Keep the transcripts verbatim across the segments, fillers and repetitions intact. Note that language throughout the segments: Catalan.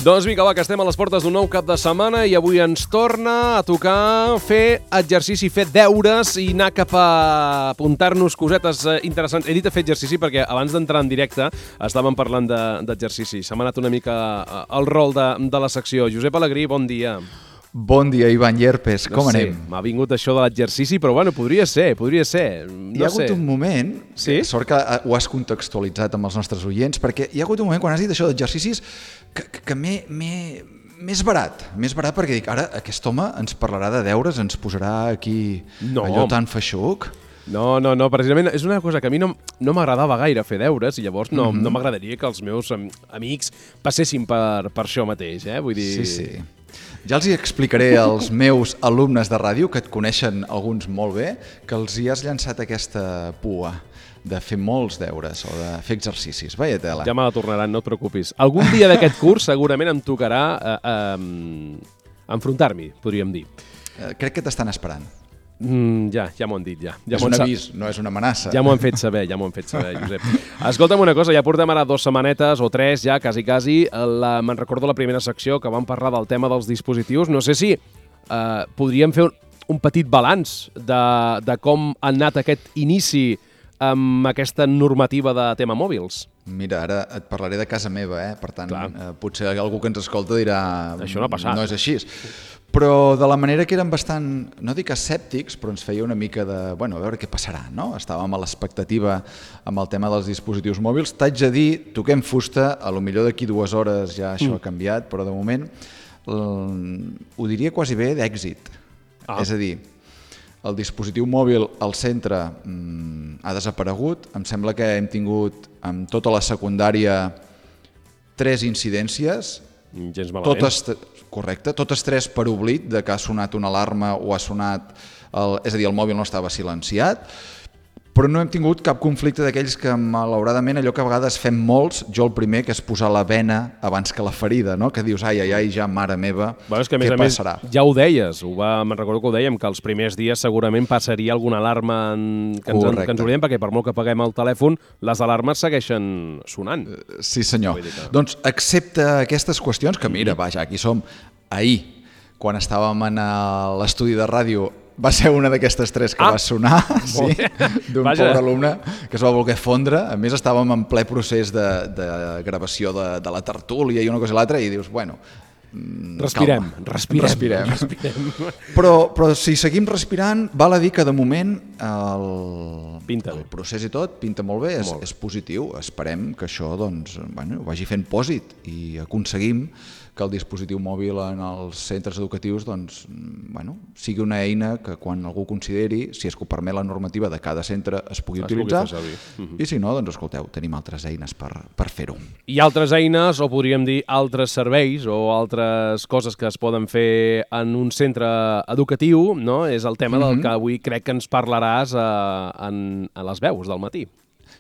Doncs vinga, va, que estem a les portes d'un nou cap de setmana i avui ens torna a tocar fer exercici, fer deures i anar cap a apuntar-nos cosetes interessants. He dit a fer exercici perquè abans d'entrar en directe estàvem parlant d'exercici. Se m'ha anat una mica el rol de, de la secció. Josep Alegrí, bon dia. Bon dia, Ivan Llerpes, com no sé, anem? M'ha vingut això de l'exercici, però bueno, podria ser, podria ser. No hi ha hagut sé. un moment, sí? sort que ho has contextualitzat amb els nostres oients, perquè hi ha hagut un moment quan has dit això d'exercicis que, que, que m'he... més barat, més barat perquè dic, ara aquest home ens parlarà de deures, ens posarà aquí no. allò tan feixuc. No, no, no, precisament és una cosa que a mi no, no m'agradava gaire fer deures i llavors no, Mm-hmm. no m'agradaria que els meus amics passessin per, per això mateix, eh? Vull dir... Sí, sí. Ja els hi explicaré als meus alumnes de ràdio, que et coneixen alguns molt bé, que els hi has llançat aquesta pua de fer molts deures o de fer exercicis. Vaya tela. Ja me la tornaran, no et preocupis. Algun dia d'aquest curs segurament em tocarà eh, eh, enfrontar-m'hi, podríem dir. Eh, crec que t'estan esperant. Mm, ja, ja m'ho han dit, ja. ja és un avís, no és una amenaça. Ja m'ho han fet saber, ja m'ho han fet saber, Josep. Escolta'm una cosa, ja portem ara dues setmanetes o tres, ja, quasi, quasi. La, me'n recordo la primera secció que vam parlar del tema dels dispositius. No sé si eh, podríem fer un, un petit balanç de, de com ha anat aquest inici amb aquesta normativa de tema mòbils. Mira, ara et parlaré de casa meva, eh? Per tant, eh, potser algú que ens escolta dirà... Això no ha passat. No és així. Però de la manera que eren bastant, no dic escèptics, però ens feia una mica de, bueno, a veure què passarà, no? Estàvem a l'expectativa amb el tema dels dispositius mòbils. T'haig de dir, toquem fusta, a lo millor d'aquí dues hores ja això mm. ha canviat, però de moment ho diria quasi bé d'èxit. Ah. És a dir, el dispositiu mòbil al centre mm, ha desaparegut. Em sembla que hem tingut amb tota la secundària tres incidències. Gens malament. Totes, correcte, totes tres per oblit de que ha sonat una alarma o ha sonat... El, és a dir, el mòbil no estava silenciat, però no hem tingut cap conflicte d'aquells que, malauradament, allò que a vegades fem molts, jo el primer, que és posar la bena abans que la ferida, no? Que dius, ai, ai, ai, ja, mare meva, bueno, és que, a més, què a més, passarà? Ja ho deies, ho va, me'n recordo que ho dèiem, que els primers dies segurament passaria alguna alarma en, que, ens, que ens oblidem, perquè per molt que apaguem el telèfon, les alarmes segueixen sonant. Sí, senyor. Que... Doncs, excepte aquestes qüestions, que mira, vaja, aquí som, ahir, quan estàvem en l'estudi de ràdio, va ser una d'aquestes tres que ah, va sonar, sí, d'un pobre alumne que es va voler fondre. A més, estàvem en ple procés de, de gravació de, de la tertúlia i una cosa i l'altra, i dius, bueno, respirem, respirem, respirem. respirem. Però, però si seguim respirant, val a dir que de moment el, pinta el procés i tot pinta molt bé, és, molt. és positiu. Esperem que això doncs, bueno, vagi fent pòsit i aconseguim que el dispositiu mòbil en els centres educatius doncs, bueno, sigui una eina que quan algú consideri, si és que ho permet la normativa de cada centre, es pugui es utilitzar, pugui uh-huh. i si no, doncs escolteu, tenim altres eines per, per fer-ho. I altres eines, o podríem dir altres serveis o altres coses que es poden fer en un centre educatiu, no? És el tema uh-huh. del que avui crec que ens parlaràs a, en, a les veus del matí.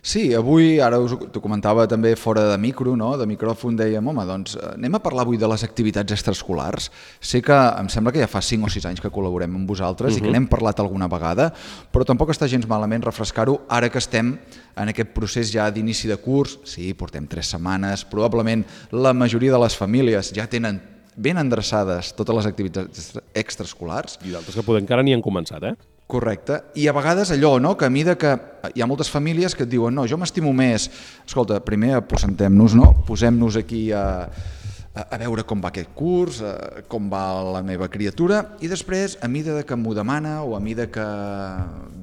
Sí, avui, ara us ho comentava també fora de micro, no? De micròfon, dèiem, home, doncs anem a parlar avui de les activitats extraescolars. Sé que em sembla que ja fa cinc o sis anys que col·laborem amb vosaltres uh-huh. i que n'hem parlat alguna vegada, però tampoc està gens malament refrescar-ho ara que estem en aquest procés ja d'inici de curs. Sí, portem tres setmanes, probablement la majoria de les famílies ja tenen ben endreçades totes les activitats extraescolars. I d'altres que poder encara ni han començat, eh? Correcte, i a vegades allò, no?, que a mida que hi ha moltes famílies que et diuen no, jo m'estimo més, escolta, primer aposentem-nos, no?, posem-nos aquí a, a, a veure com va aquest curs, a, com va la meva criatura, i després, a mida que m'ho demana o a mida que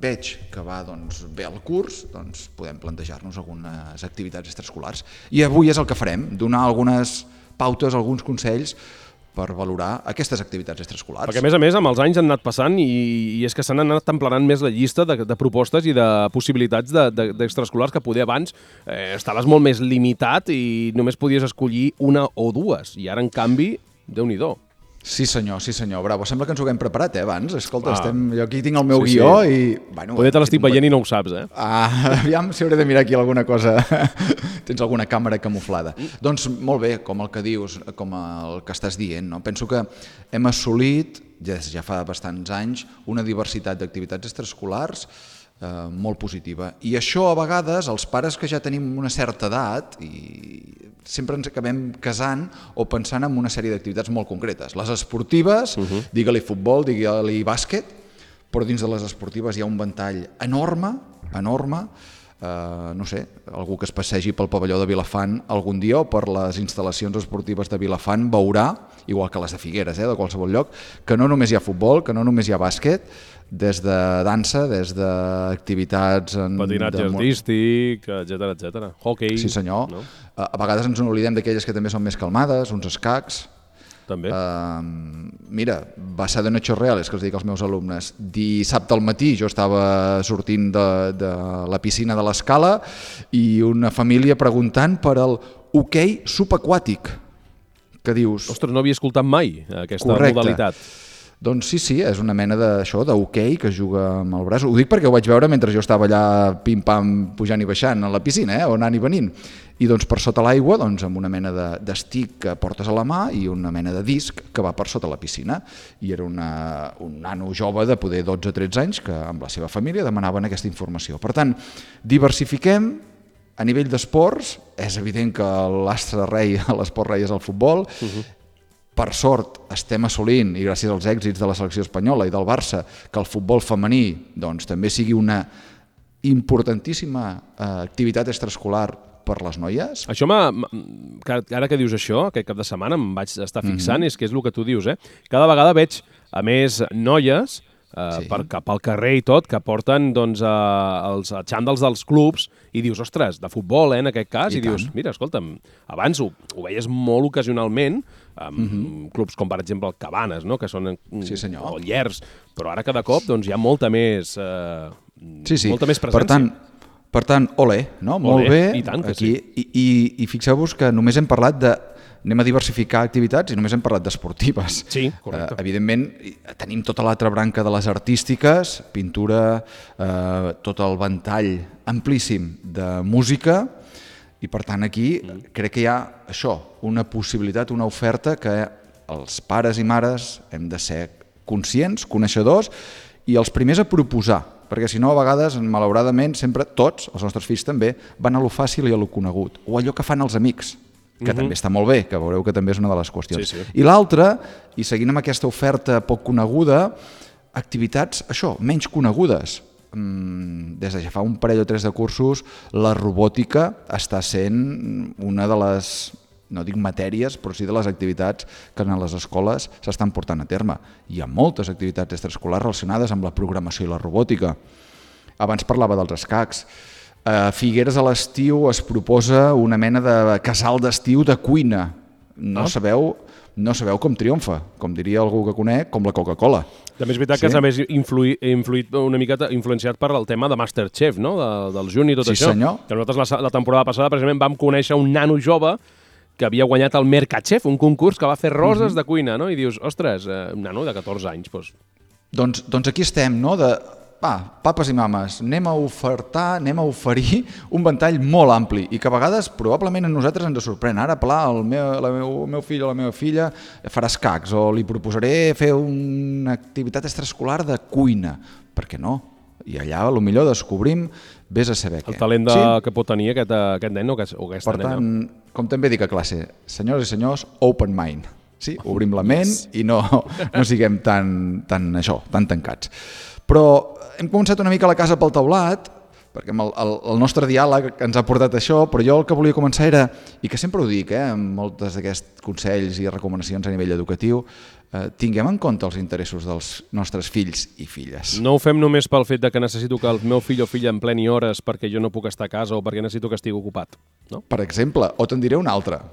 veig que va doncs, bé el curs, doncs podem plantejar-nos algunes activitats extraescolars. I avui és el que farem, donar algunes pautes, alguns consells per valorar aquestes activitats extraescolars. Perquè, a més a més, amb els anys han anat passant i, i és que s'han anat emplenant més la llista de, de propostes i de possibilitats d'extraescolars de, de, que poder abans eh, estaves molt més limitat i només podies escollir una o dues. I ara, en canvi, Déu-n'hi-do. Sí senyor, sí senyor, bravo. Sembla que ens ho haguem preparat, eh, abans. Escolta, ah. estem... jo aquí tinc el meu sí, guió sí. i... Bueno, poder te l'estic veient i no ho saps, eh? Ah, aviam si hauré de mirar aquí alguna cosa. Tens alguna càmera camuflada. Mm. Doncs molt bé, com el que dius, com el que estàs dient, no? Penso que hem assolit, ja, ja fa bastants anys, una diversitat d'activitats extraescolars eh, molt positiva. I això, a vegades, els pares que ja tenim una certa edat i sempre ens acabem casant o pensant en una sèrie d'activitats molt concretes. Les esportives, uh -huh. digue-li futbol, digue-li bàsquet, però dins de les esportives hi ha un ventall enorme, enorme, Uh, no sé, algú que es passegi pel pavelló de Vilafant algun dia o per les instal·lacions esportives de Vilafant veurà, igual que les de Figueres, eh, de qualsevol lloc, que no només hi ha futbol, que no només hi ha bàsquet, des de dansa, des d'activitats... Patinatge de... artístic, etcètera, etcètera. Hockey... Sí, senyor. No? A vegades ens n'oblidem d'aquelles que també són més calmades, uns escacs... També. Uh, mira, basada en hechos reales, que els dic als meus alumnes. Dissabte al matí jo estava sortint de, de la piscina de l'Escala i una família preguntant per el hoquei subaquàtic, que dius... Ostres, no havia escoltat mai aquesta correcte. Modalitat. Doncs sí, sí, és una mena d'això, d'hoquei que juga amb el braç. Ho dic perquè ho vaig veure mentre jo estava allà pim-pam pujant i baixant a la piscina, eh, o anant i venint. I doncs per sota l'aigua, doncs, amb una mena de, d'estic que portes a la mà i una mena de disc que va per sota la piscina. I era una, un nano jove de poder dotze o tretze anys que amb la seva família demanaven aquesta informació. Per tant, diversifiquem a nivell d'esports. És evident que l'astre rei a l'esport rei és el futbol. Uh-huh. Per sort estem assolint, i gràcies als èxits de la selecció espanyola i del Barça, que el futbol femení doncs, també sigui una importantíssima eh, activitat extraescolar per les noies. Això m'ha... Ara que dius això, aquest cap de setmana em vaig estar fixant, mm-hmm. és que és el que tu dius, eh? Cada vegada veig, a més, noies eh, sí. per, cap al carrer i tot, que porten doncs, eh, els xandals dels clubs i dius, ostres, de futbol, eh, en aquest cas, i, i dius, mira, escolta'm, abans ho, ho veies molt ocasionalment, amb mm-hmm. clubs com, per exemple, el Cabanes, no? Que són sí, senyor. o Llers, però ara cada cop doncs, hi ha molta més, eh, sí, sí. molta més presència. Per tant, per tant olé, no? Olé, molt bé. I tant que aquí, sí. I, i, i fixeu-vos que només hem parlat de... Anem a diversificar activitats i només hem parlat d'esportives. Sí, correcte. Uh, evidentment, tenim tota l'altra branca de les artístiques, pintura, uh, tot el ventall amplíssim de música, i per tant aquí mm. crec que hi ha això, una possibilitat, una oferta que els pares i mares hem de ser conscients, coneixedors i els primers a proposar, perquè si no a vegades, malauradament, sempre tots, els nostres fills també, van a lo fàcil i a lo conegut, o allò que fan els amics, que mm-hmm. també està molt bé, que veureu que també és una de les qüestions. Sí, sí. I l'altra, i seguint amb aquesta oferta poc coneguda, activitats, això, menys conegudes. Des de ja fa un parell o tres de cursos, la robòtica està sent una de les, no dic matèries, però sí de les activitats que en les escoles s'estan portant a terme. Hi ha moltes activitats extraescolars relacionades amb la programació i la robòtica. Abans parlava dels escacs. A Figueres a l'estiu es proposa una mena de casal d'estiu de cuina. No, ah. sabeu, no sabeu com triomfa, com diria algú que conec, com la Coca-Cola. També és veritat sí? que s'ha més influït, influït una mica influenciat per el tema de Masterchef, no? de, del Juni i tot sí, això. Senyor. Que nosaltres la, la temporada passada precisament vam conèixer un nano jove que havia guanyat el Mercachef, un concurs que va fer roses mm-hmm. de cuina, no? I dius, ostres, eh, un nano de catorze anys, doncs... Doncs, doncs aquí estem, no?, de... Va, papes i mames, anem a ofertar, anem a oferir un ventall molt ampli i que a vegades probablement a nosaltres ens sorprèn. Ara, pla, el meu, la meu, el meu fill o la meva filla farà escacs o li proposaré fer una activitat extraescolar de cuina. Per què no? I allà potser descobrim, vés a saber què. El talent de, sí? que pot tenir aquest, aquest nen o aquesta per nena. tant, com també dic a classe, senyors i senyors, open mind. Sí? Obrim la ment yes. i no, no siguem tan, tan, això, tan tancats. Però hem començat una mica la casa pel teulat, perquè el, el, el nostre diàleg ens ha portat això, però jo el que volia començar era, i que sempre ho dic, eh, amb moltes d'aquests consells i recomanacions a nivell educatiu, eh, tinguem en compte els interessos dels nostres fills i filles. No ho fem només pel fet de que necessito que el meu fill o filla em pleni hores perquè jo no puc estar a casa o perquè necessito que estigui ocupat. No? Per exemple, o te'n diré una altra.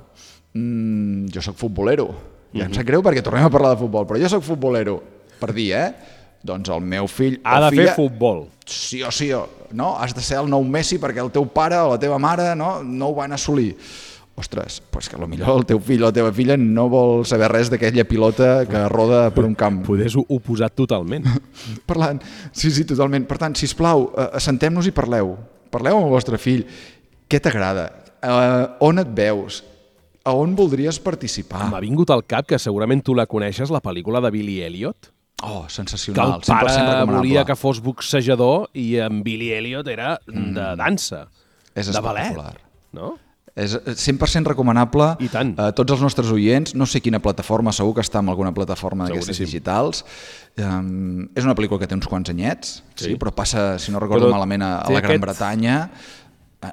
Mm, jo sóc futbolero. Ja mm-hmm. em sap greu perquè tornem a parlar de futbol, però jo sóc futbolero. Per dir, eh? Doncs el meu fill ha de filla, fer futbol. Sí o sí, no? Has de ser el nou Messi perquè el teu pare o la teva mare no, no ho van assolir. Ostres, pues que potser el teu fill o la teva filla no vol saber res d'aquella pilota que roda per un camp. Podés oposat totalment. Parlant, sí, sí, totalment. Per tant, sisplau, assentem-nos i parleu. Parleu amb el vostre fill. Què t'agrada? Uh, on et veus? A on voldries participar? M'ha vingut al cap que segurament tu la coneixes, la pel·lícula de Billy Elliot. Oh, sensacional. Que el pare volia que fos boxejador i en Billy Elliot era mm. de dansa, és de ballet. espectacular. No? És cent per cent recomanable a tots els nostres oients. No sé quina plataforma, segur que està en alguna plataforma d'aquestes digitals. Um, és una pel·lícula que té uns quants anyets, sí. Sí, però passa, si no recordo però malament, a, a la Gran aquest... Bretanya,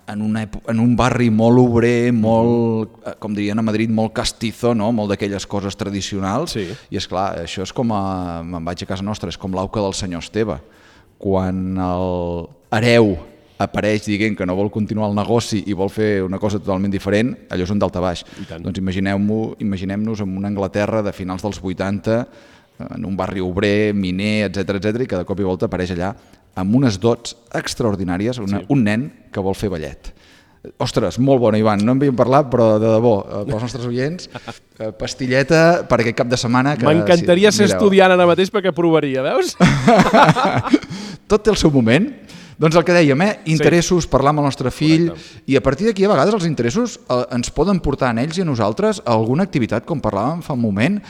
en, una, en un barri molt obrer, molt, mm. com dirien a Madrid, molt castizo, no? Molt d'aquelles coses tradicionals. Sí. I és clar, això és com a... Me'n vaig a casa nostra, és com l'auca del senyor Esteve. Quan el hereu apareix dient que no vol continuar el negoci i vol fer una cosa totalment diferent, allò és un daltabaix. Doncs imaginem-nos imaginem-nos en una Anglaterra de finals dels vuitanta, en un barri obrer, miner, etcètera, etcètera, i que de cop i volta apareix allà amb unes dots extraordinàries, una, sí. un nen que vol fer ballet. Ostres, molt bona, Ivan, no en havíem parlat, però de debò, pels nostres oients, pastilleta per aquest cap de setmana. M'encantaria si, ser mireu. Estudiant ara mateix perquè provaria, veus? Tot té el seu moment. Doncs el que dèiem, eh? interessos, sí. parlar amb el nostre fill, correcte. I a partir d'aquí a vegades els interessos eh, ens poden portar a ells i a nosaltres a alguna activitat, com parlàvem fa un moment,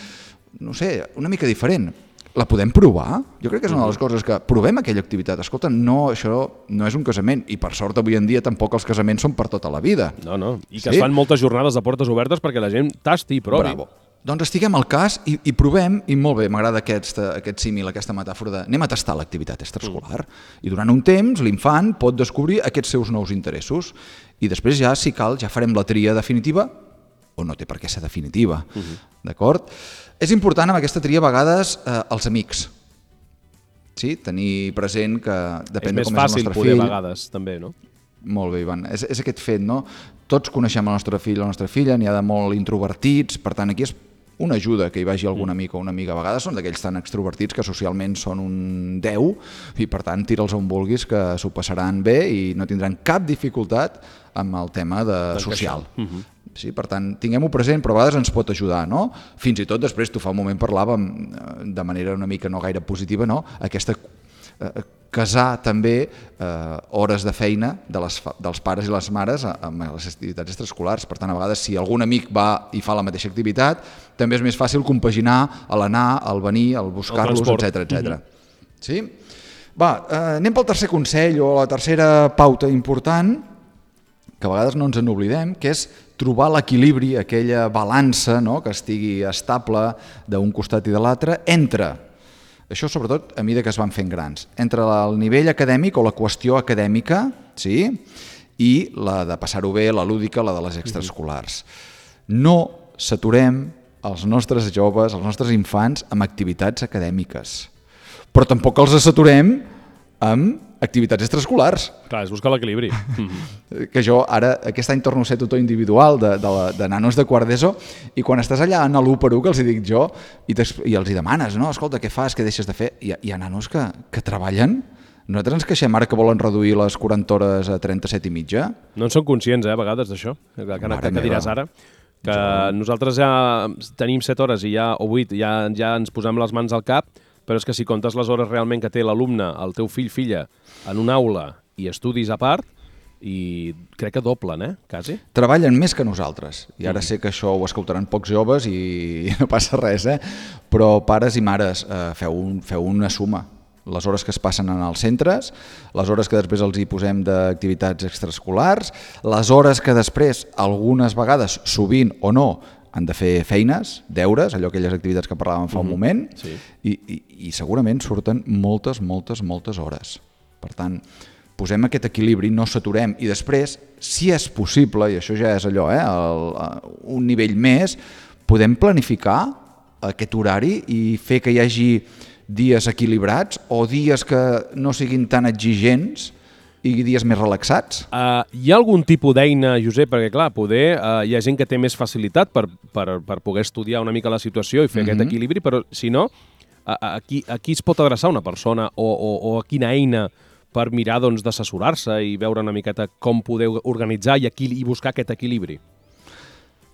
no sé, una mica diferent. La podem provar? Jo crec que és una de les coses que provem aquella activitat. Escolta, no, això no és un casament i per sort avui en dia tampoc els casaments són per tota la vida. No, no, i que sí? es fan moltes jornades de portes obertes perquè la gent tasti i provi. Bravo. Doncs estiguem al cas i, i provem, i molt bé, m'agrada aquest, aquest símil, aquesta metàfora de anem a tastar l'activitat extraescolar. Mm. I durant un temps l'infant pot descobrir aquests seus nous interessos i després ja, si cal, ja farem la tria definitiva o no té per què ser definitiva. Mm-hmm. D'acord? És important amb aquesta tria a vegades eh, els amics. Sí? Tenir present que depèn de com és el nostre fill. És més fàcil poder a vegades, també, no? Molt bé, Ivan. És, és aquest fet, no? Tots coneixem el nostre fill o la nostra filla, n'hi ha de molt introvertits, per tant, aquí és una ajuda que hi vagi algun amic o una amiga. A vegades són d'aquells tan extrovertits que socialment són un deu i, per tant, tira'ls on vulguis que s'ho passaran bé i no tindran cap dificultat amb el tema de social. Uh-huh. Sí, per tant, tinguem-ho present, però a vegades ens pot ajudar, no? Fins i tot després, tu fa un moment parlàvem de manera una mica no gaire positiva, no? Aquesta eh, casar també eh, hores de feina de les, dels pares i les mares amb les activitats extraescolars. Per tant, a vegades, si algun amic va i fa la mateixa activitat, també és més fàcil compaginar l'anar, el venir, el buscar-los, etcètera, etcètera. Mm-hmm. Sí? Va, eh, anem pel tercer consell o la tercera pauta important, que a vegades no ens en oblidem, que és trobar l'equilibri, aquella balança, no?, que estigui estable d'un costat i de l'altre, entre, això sobretot a mesura que es van fent grans, entre el nivell acadèmic o la qüestió acadèmica, sí?, i la de passar-ho bé, la lúdica, la de les extraescolars. No saturem els nostres joves, els nostres infants, amb activitats acadèmiques, però tampoc els saturem amb activitats extraescolars. Clar, és buscar l'equilibri. Que jo ara, aquest any torno a ser tutor individual de, de, la, de nanos de quart d'ESO i quan estàs allà en l'u per u, que els hi dic jo, i, i els hi demanes, no? Escolta, què fas, què deixes de fer? Hi ha, hi ha nanos que, que treballen. Nosaltres ens queixem ara que volen reduir les quaranta hores a trenta-set i mitja. No en són conscients, eh, a vegades, d'això, que, que, que diràs ara. Que jo... nosaltres ja tenim set hores i ja, o vuit, ja, ja ens posem les mans al cap, però és que si comptes les hores realment que té l'alumne, el teu fill, filla, en una aula i estudis a part, i crec que doblen, eh, quasi. Treballen més que nosaltres, i ara mm. sé que això ho escoltaran pocs joves i no passa res, eh? Però pares i mares, eh, feu, un, feu una suma. Les hores que es passen en els centres, les hores que després els hi posem d'activitats extraescolars, les hores que després, algunes vegades, sovint o no, han de fer feines, deures, allò aquelles activitats que parlàvem fa un mm-hmm. moment, sí. i, i, i segurament surten moltes, moltes, moltes hores. Per tant, posem aquest equilibri, no saturem, i després, si és possible, i això ja és allò, eh, el, un nivell més, podem planificar aquest horari i fer que hi hagi dies equilibrats o dies que no siguin tan exigents i dies més relaxats? Uh, hi ha algun tipus d'eina, Josep? Perquè, clar, poder, uh, hi ha gent que té més facilitat per, per, per poder estudiar una mica la situació i fer mm-hmm. aquest equilibri, però, si no, a, a, qui, a qui es pot adreçar una persona o, o, o a quina eina per mirar doncs, d'assessorar-se i veure una miqueta com podeu organitzar i, aquí, i buscar aquest equilibri?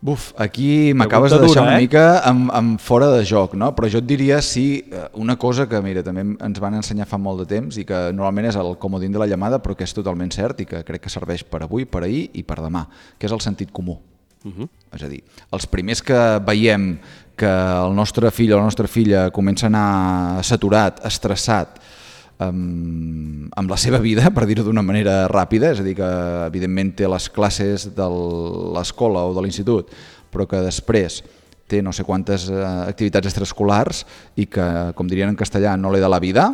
Buf, aquí m'acabes de deixar una eh? mica amb, amb fora de joc, no? Però jo et diria sí, una cosa que mira, també ens van ensenyar fa molt de temps i que normalment és el comodín de la llamada, però que és totalment cert i que crec que serveix per avui, per ahir i per demà, que és el sentit comú. Uh-huh. És a dir, els primers que veiem que el nostre fill o la nostra filla comença a anar saturat, estressat, amb, amb la seva vida, per dir-ho d'una manera ràpida, és a dir, que evidentment té les classes de l'escola o de l'institut, però que després té no sé quantes activitats extraescolars i que, com dirien en castellà, no le da la vida,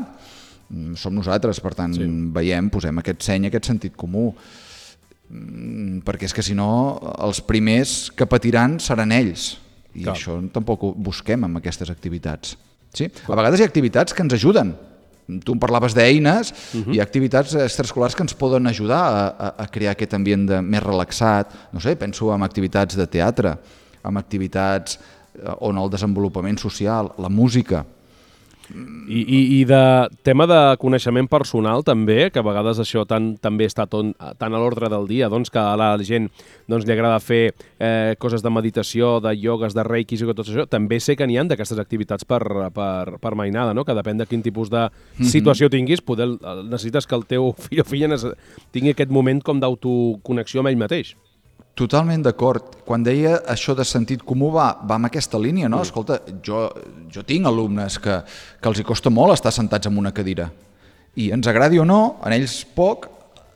som nosaltres. Per tant, sí. veiem, posem aquest seny, aquest sentit comú, perquè és que si no els primers que patiran seran ells, i Clar. això tampoc ho busquem amb aquestes activitats. Sí? A vegades hi ha activitats que ens ajuden. Tu em parlaves d'eines, uh-huh. hi ha activitats extraescolars que ens poden ajudar a, a, a crear aquest ambient de, més relaxat. No sé, penso en activitats de teatre, amb activitats on el desenvolupament social, la música. I, i, i de tema de coneixement personal també, que a vegades això tan, també està ton, tan a l'ordre del dia, doncs que a la gent doncs, li agrada fer eh, coses de meditació, de iogues, de reikis i tot això, també sé que n'hi ha d'aquestes activitats per, per, per mainada, no? Que depèn de quin tipus de situació tinguis, poder, necessites que el teu fill o filla tingui aquest moment com d'autoconnexió amb ell mateix. Totalment d'acord. Quan deia això de sentit comú va, va en aquesta línia, no? Escolta, jo, jo tinc alumnes que, que els hi costa molt estar sentats en una cadira i ens agradi o no, en ells poc,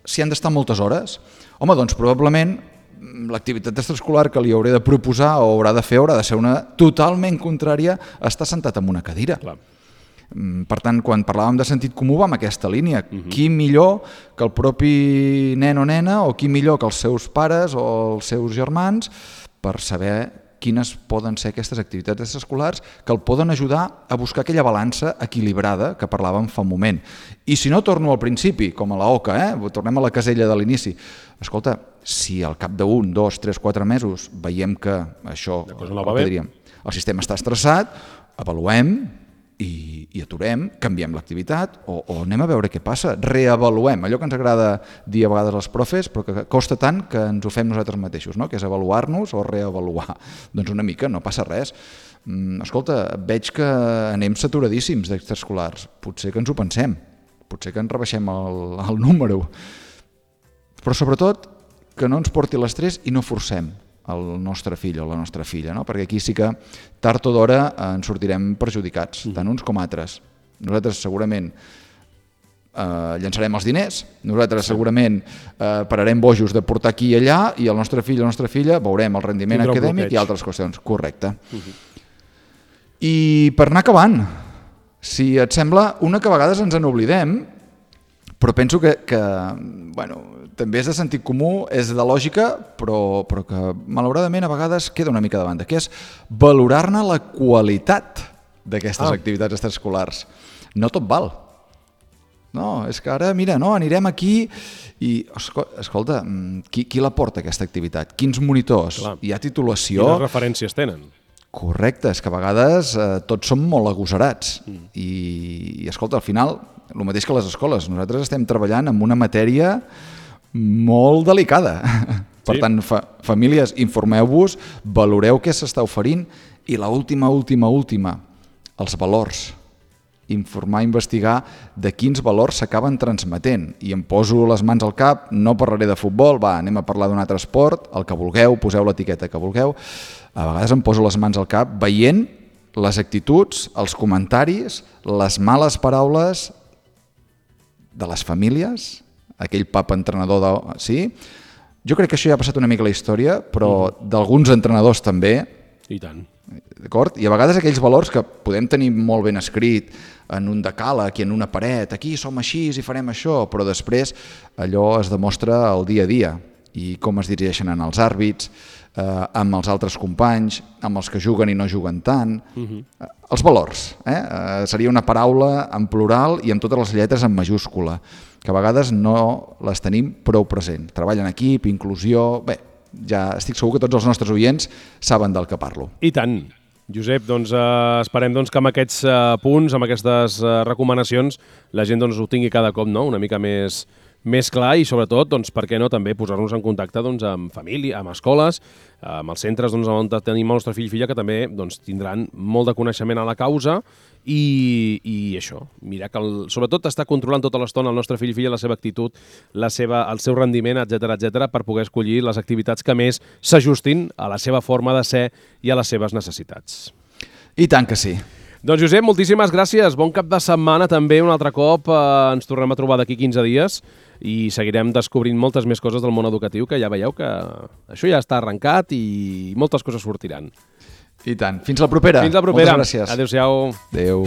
s'hi han d'estar moltes hores. Home, doncs probablement l'activitat extraescolar que li hauré de proposar o haurà de fer haurà de ser una totalment contrària a estar sentat en una cadira. Clar. Per tant, quan parlàvem de sentit comú va en aquesta línia. Uh-huh. Qui millor que el propi nen o nena o qui millor que els seus pares o els seus germans per saber quines poden ser aquestes activitats extraescolars que el poden ajudar a buscar aquella balança equilibrada que parlàvem fa un moment. I si no, torno al principi, com a la oca, eh? Tornem a la casella de l'inici. Escolta, si al cap d'un, dos, tres, quatre mesos veiem que això, no el, que diríem, el sistema està estressat, avaluem, I, i aturem, canviem l'activitat o, o anem a veure què passa, reavaluem, allò que ens agrada dir a vegades als profes, però que costa tant que ens ho fem nosaltres mateixos, no? Que és avaluar-nos o reavaluar. Doncs una mica, no passa res. Mm, escolta, veig que anem saturadíssims d'extraescolars, potser que ens ho pensem, potser que ens rebaixem el, el número, però sobretot que no ens porti l'estrès i no forcem el nostre fill o la nostra filla, no? Perquè aquí sí que tard o d'hora ens sortirem perjudicats, tant uns com altres. Nosaltres segurament eh, llançarem els diners, nosaltres segurament eh, pararem bojos de portar aquí i allà i el nostre fill o la nostra filla veurem el rendiment Tindrà acadèmic i altres qüestions. Correcte. Uh-huh. I per anar acabant, si et sembla, una que a vegades ens en oblidem, però penso que, que bueno, també és de sentit comú, és de lògica, però, però que malauradament a vegades queda una mica de banda, que és valorar-ne la qualitat d'aquestes ah. activitats extraescolars. No tot val. No, és que ara, mira, no, anirem aquí i, escolta, qui, qui la porta aquesta activitat? Quins monitors? Clar. Hi ha titulació? Quines referències tenen? Correcte, és que a vegades eh, tots som molt agosarats mm. I, i escolta, al final, el mateix que les escoles, nosaltres estem treballant en una matèria molt delicada. Per sí. tant, fa, famílies, informeu-vos, valoreu què s'està oferint i l'última, última, última, els valors. Informar, investigar de quins valors s'acaben transmetent. I em poso les mans al cap, no parlaré de futbol, va, anem a parlar d'un altre esport, el que vulgueu, poseu l'etiqueta que vulgueu. A vegades em poso les mans al cap veient les actituds, els comentaris, les males paraules de les famílies, aquell pap entrenador de... Sí? Jo crec que això ja ha passat una mica a la història, però mm. d'alguns entrenadors també. I tant. D'acord? I a vegades aquells valors que podem tenir molt ben escrit en un decàleg i en una paret, aquí som així i farem això, però després allò es demostra el dia a dia i com es dirigeixen en els àrbits, eh, amb els altres companys, amb els que juguen i no juguen tant. Uh-huh. Eh, els valors. Eh? Eh, seria una paraula en plural i amb totes les lletres en majúscula, que a vegades no les tenim prou present. Treball en equip, inclusió... Bé, ja estic segur que tots els nostres oients saben del que parlo. I tant. Josep, doncs eh, esperem doncs, que amb aquests eh, punts, amb aquestes eh, recomanacions, la gent doncs, ho tingui cada cop, no? Una mica més, més clar i sobretot, doncs, per què no, també posar-nos en contacte doncs, amb família, amb escoles, amb els centres doncs, on tenim el nostre fill i filla, que també doncs, tindran molt de coneixement a la causa i, i això, mirar que el, sobretot està controlant tota l'estona el nostre fill i filla, la seva actitud, la seva, el seu rendiment, etcètera, etcètera, per poder escollir les activitats que més s'ajustin a la seva forma de ser i a les seves necessitats. I tant que sí. Doncs Josep, moltíssimes gràcies. Bon cap de setmana també, un altre cop. Eh, ens tornem a trobar d'aquí quinze dies i seguirem descobrint moltes més coses del món educatiu, que ja veieu que això ja està arrencat i moltes coses sortiran. I tant. Fins la propera. Fins la propera. Moltes gràcies. Adéu-siau. Adéu.